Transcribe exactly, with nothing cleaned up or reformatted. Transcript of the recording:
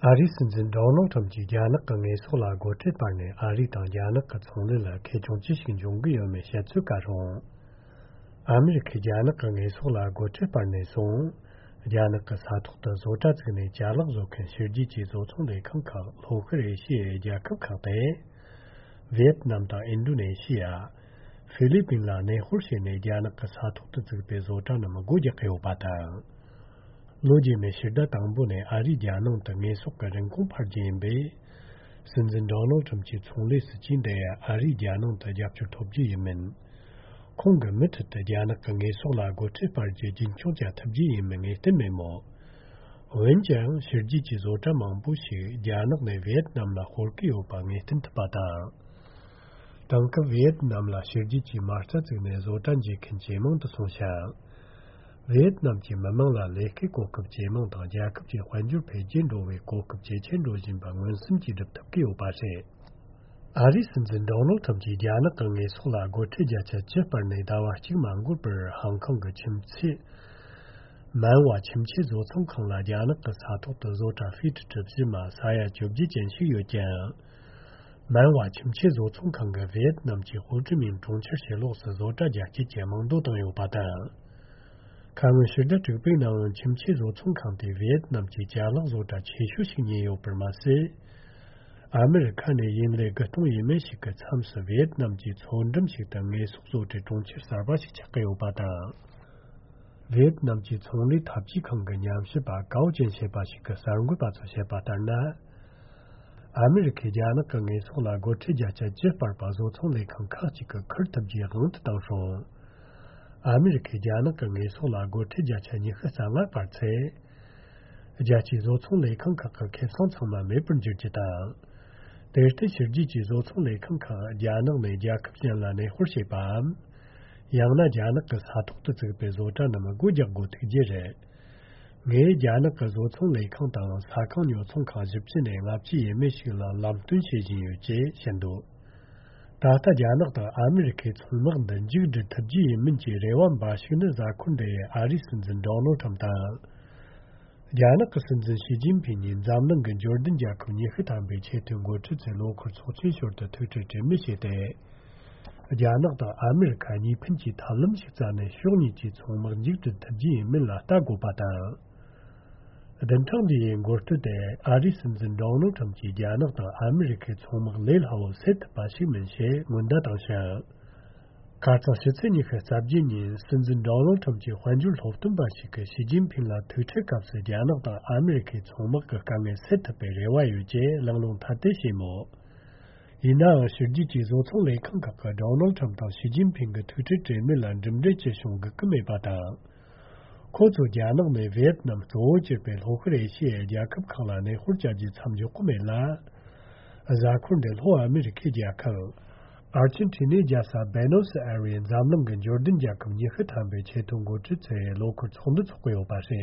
ཨ་རིའི་སྲིད་འཛིན་ཌོ་ནལ་ཁྲམ་གྱིས་རྒྱ་ནག་གི་དངོས་ཟོག་ལ་སྒོ་ཁྲལ་སྤར་ནས། ཨ་རི་དང་རྒྱ་ནག་གི་ཚོང་ལས་ལ་ཁེ་གྱོང་ཅི་ཞིག་འབྱུང་གི་ཡོད་མེད་བཤད་ཚོད་བཀལ་རུང་། ཨ་མི་རི་ཁས་རྒྱ་ནག་གི་དངོས་ཟོག་ལ་སྒོ་ཁྲལ་སྤར་ནས་བཟུང་། རྒྱ་ནག་གི་ས་ཐོག་ཏུ་བཟོ་གྲྭ་བཙུགས་ནས་ཅ་ལག་བཟོ་མཁན་ཕྱི་རྒྱལ་གྱི་བཟོ་ཚོང་ལས་ཁང་ཁག་ལྷོ་ཤར་ཨེ་ཤི་ཡའི་རྒྱལ་ཁབ་ཁག་སྟེ། ཝི་ཡེད་ནམ་དང་ཨིན་ཌོ་ནེ་ཤི་ཡ། ཧྥི་ལི་པིན་ལ་གནས་སྤོར་བྱས་ནས། རྒྱ་ནག་གི་ས་ཐོག་ཏུ་བཙུགས་པའི་བཟོ་གྲྭ་རྣམས་སྒོ་རྒྱག་གི་ཡོད་པ་དང་། ལོ་རྗེས་མའི་ཕྱི་ཟླ་དང་པོ་ནས་ཨ་རིས་རྒྱ་ནང་དུ་དངོས་ཟོག་གི་རིན་གོང་འཕར་རྒྱུ་ཡིན་པས། སྲིད་འཛིན་ཌོ་ནལ་ཁྲམ་གྱི་ཚོང་ལས་སྲིད་ཇུས་འདིས་ཨ་རིས་རྒྱ་ནང་དུ་རྒྱབ་སྐྱོར་ཐོབ་རྒྱུ་ཡིན་མིན། ཁོང་གིས་མུ་མཐུད་དུ་རྒྱ་ནག་གི་དངོས་ཟོག་ལ་སྒོ་ཁྲལ་སྤར་རྒྱུ་རྒྱུན་འཁྱོངས་བྱ་ཐུབ་རྒྱུ་ཡིན་མིན་ངེས་གཏན་མེད་མོད། འོན་ཀྱང་ཕྱི་རྒྱལ་གྱི་བཟོ་གྲྭ་མང་པོ་ཞིག་རྒྱ་ནག་ནས་ཝི་ཡེད་ནམ་ལ་སྤོར་གྱི་ཡོད་པ་ངེས་གཏན་ཐུབ་པ་དང་། དེང་སྐབས་ཝི་ཡེད་ནམ་ལ་ཕྱི་རྒྱལ་གྱི་མ་རྩ་བཙུགས་ནས་བཟོ་གྲྭ་འབྱེད་མཁན་ཇེ་མང་དུ་སོང་ཞིང་། ཝི་ཡེད་ནམ་གྱི་མི་དམངས་ལ་ལས་ཀའི་གོ་སྐབས་ཇེ་མང་དང་། རྒྱལ་ཁབ་ཀྱི་དཔལ་འབྱོར་འཕེལ་རྒྱས་འགྲོ་བའི་གོ་སྐབས་ཇེ་ཆེར་འགྲོ་བཞིན་པ་མངོན་སུམ་གྱིས་སྒྲུབ་ཐུབ་ཀྱི་ཡོད་པ་རེད། ཨ་རིའི་སྲིད་འཛིན་ཌོ་ནལ་ཁྲམ་གྱིས་རྒྱ་ནག་གི་དངོས་ཟོག་ལ་སྒོ་ཁྲལ་བརྒྱ་ཆ་བཅུ་སྤར་ནས་ཟླ་བ་གཅིག་མ་འགོར་བར་ཧང་ཀང་གི་ཁྱིམ་མཚེས། མན་ཝ་ཁྱིམ་ཆས་བཟོ་ཚོང་ཁང་ལ་རྒྱ་ནག་གི་ས་ཐོག་ཏུ་བཟོ་གྲྭ་ཧྥེ་ཊི་གྲུ་བཞི་མ་ས་ཡ་བཅོ་བརྒྱད་ཅན་ཞིག་ཡོད་ཀྱང་། མན་ཝ་ཁྱིམ་ཆས་བཟོ་ཚོང་ཁང་གིས་ཝི་ཡེད་ནམ་གྱི་ཧོ་ཅི་མིན་གྲོང་ཁྱེར་ཕྱི་ལོགས་སུ་བཟོ་གྲྭ་རྒྱ་སྐྱེད་ཀྱི་རྨང་རྡོ་བཏིང་ཡོད་པ་དང་། ཁ་སྔོན་ཕྱི་ཟླ་དྲུག་པའི་ནང་ཁྱིམ་ཆས་བཟོ་ཚོང་ཁང་དེས་ཝི་ཡེད་ནམ་གྱི་ཅ་ལག་བཟོ་གྲྭ་ཆེ་ཤོས་ཤིག་ཉོས་ཡོད་པར་མ་ཟད། ཨ་མི་རི་ཁ་ནས་ཡུན་ལས་དགུ་སྟོང་ཡས་མས་ཤིག་གི་མཚམས་སུ་ཝི་ཡེད་ནམ་གྱི་མཚོ་འགྲམ་ཞིག་ཏུ་དངོས་ཟོག་བཟོ་གྲྭའི་གྲོང་ཁྱེར་གསར་པ་ཞིག་ཆགས་ཀྱི་ཡོད་པ་དང་། ཝི་ཡེད་ནམ་གྱི་ཚོང་ལས་འཐབ་ཇུས་ཁང་གི་ཉམས་ཞིབ་པ་ཀའོ་ཅན་ཞེས་པ་ཞིག་གིས་གསར་འགོད་པ་ཚོར་བཤད་པ་ལྟར་ན། ཨ་མི་རི་ཁས་རྒྱ་ནག་གི་དངོས་ཟོག་ལ་སྒོ་ཁྲལ་བརྒྱ་ཆ་བཅུ་སྤར་པ་བཟོ་ཚོང་ལས་ཁང་ཁག་ཅིག་གིས་འཁུར་ཐུབ་རྒྱུའི་དབང་དུ་བཏང་སོང་། ཨ་མི་རི་ཁས་རྒྱ་ནག་གི་དངོས་ཟོག་ལ་སྒོ་ཁྲལ་བརྒྱ་ཆ་ཉི་ཤུ་རྩ་ལྔ་སྤར་ཚེ། རྒྱལ་སྤྱིའི་བཟོ་ཚོང་ལས་ཁང་ཁག་གི་ཁེ་བཟང་ཚང་མ་མེད་པར་འགྱུར་རྒྱུ་དང་། དེར་བརྟེན་ཕྱི་རྒྱལ་གྱི་བཟོ་ཚོང་ལས་ཁང་ཁག་རྒྱ་ནག་ནས་རྒྱལ་ཁབ་གཞན་ལ་གནས་སྤོར་བྱེད་པའམ། ཡང་ན་རྒྱ་ནག་གི་ས་ཐོག་ཏུ་བཙུགས་པའི་བཟོ་གྲྭ་རྣམས་སྒོ་རྒྱག་དགོས་ཐུག་རྒྱུ་རེད། ངས་རྒྱ་ནག་གི་བཟོ་ཚོང་ལས་ཁང་དང་ས་ཁང་ཉོ་ཚོང་ཁང་བཞི་བཅུ་ནས་ལྔ་བཅུ་ཡས་མས་ཤིག་ལ་ལམ་སྟོན་བྱེད་བཞིན་ཡོད་ཅེས་བཤད་འདུག་ད་ལྟ་རྒྱ་ནག་དང་ཨ་མི་རི་ཁའི་ཚོང་དམག་འདི་མཇུག་སྒྲིལ་ཐུབ་རྒྱུ་ཡིན་མིན་གྱི་རེ་བ་འབའ་ཞིག་ནི། གཟའ་འཁོར་འདིའི་ཨ་རིའི་སྲིད་འཛིན་ཌོ་ནལ་ཁྲམ་དང་། རྒྱ་ནག་གི་སྲིད་འཛིན་ཞི་ཅིན་ཕིང་གཉིས་འཛམ་གླིང་གི་འབྱོར་ལྡན་རྒྱལ་ཁབ་ཉི་ཤུ་ཐམ་པའི་ཆེས་མཐོའི་འགོ་ཁྲིད་ཚོའི་ལོ་འཁོར་ཚོགས་ཆེན་ཞོར་དུ་ཐུག་འཕྲད་གྲོས་མོལ་བྱས་ཏེ། རྒྱ་ནག་དང་ཨ་མི་རི་ཁ་གཉིས་ཕན་གྱི་ཐབས་ལམ་ཞིག་བཙལ་ནས་ཕྱོགས་གཉིས་ཀྱི་ཚོང་དམག་མཇུག་སྒྲིལ་ཐུབ་རྒྱུ་ཡིན་མིན་ལ་ལྟ་དགོས་པ་དང་། བདུན་ཕྲག་འདི་ཡི་འགོ་སྟོད་དེ་ཨ་རིའི་སྲིད་འཛིན་ཌོ་ནལ་ཁྲམ་གྱིས་རྒྱ་ནག་དང་ཨ་མི་རི་ཁའི་ཚོང་དམག་ལས་སླ་བོར་སེལ་ཐུབ་པ་ཞིག་མིན་ཞེས་སྔོན་བརྡ་བཏང་ཞིང་། ཁ་རྩང་ཕྱི་ཚེས་ཉི་ཤུ་རྩ་བརྒྱད་ཉིན་སྲིད་འཛིན་ཌོ་ནལ་ཁྲམ་གྱི་དཔལ་འབྱོར་སློབ་སྟོན་པ་ཞིག་གིས་ཞི་ཅིན་ཕིང་ལ་ཐུག་འཕྲད་སྐབས་སུ་རྒྱ་ནག་དང་ཨ་མི་རི་ཁའི་ཚོང་དམག་གི་དཀའ་ངལ་སེལ་ཐུབ་པའི་རེ་བ་ཡོད་ཅེས་གླེང་སློང་ཐ་དད་བྱས་མོད། ཡིན་ནའང་ཕྱི་རྒྱལ་གྱི་བཟོ་ཚོང་ལས་ཁང་ཁག་གིས་ཌོ་ནལ་ཁྲམ་དང་ཞི་ཅིན་ཕིང་གི་ཐུག་འཕྲད་གྲོས་མོལ་ལ་གྲུབ་འབྲས་ཅི་བྱུང་སྒུག་གི་མེད་པ་དང་། ཁོ་ཚོས་རྒྱ་ནག་ནས་ཝི་ཡེད་ནམ་གཙོ་བོ་གྱུར་པའི་ལྷོ་ཤར་ཨེ་ཤི་ཡའི་རྒྱལ་ཁབ་ཁག་ལ་གནས་སྤོར་བྱ་རྒྱུ་མཚམས་འཇོག་གི་མེད་ལ། གཟའ་འཁོར་འདིར་ལྷོ་ཨ་མི་རི་ཁའི་རྒྱལ་ཁབ་ཨར་ཅན་ཊི་ནའི་རྒྱལ་ས་བེ་ནོ་སི་ཨེ་རི་ཡའི་འཛམ་གླིང་གི་འབྱོར་ལྡན་རྒྱལ་ཁབ་ཉི་ཤུ་ཐམ་པའི་ཆེས་མཐོའི་འགོ་ཁྲིད་ཚོའི་ལོ་འཁོར་ཚོགས་འདུ་འཚོགས་ཀྱི་ཡོད་པ་རེད།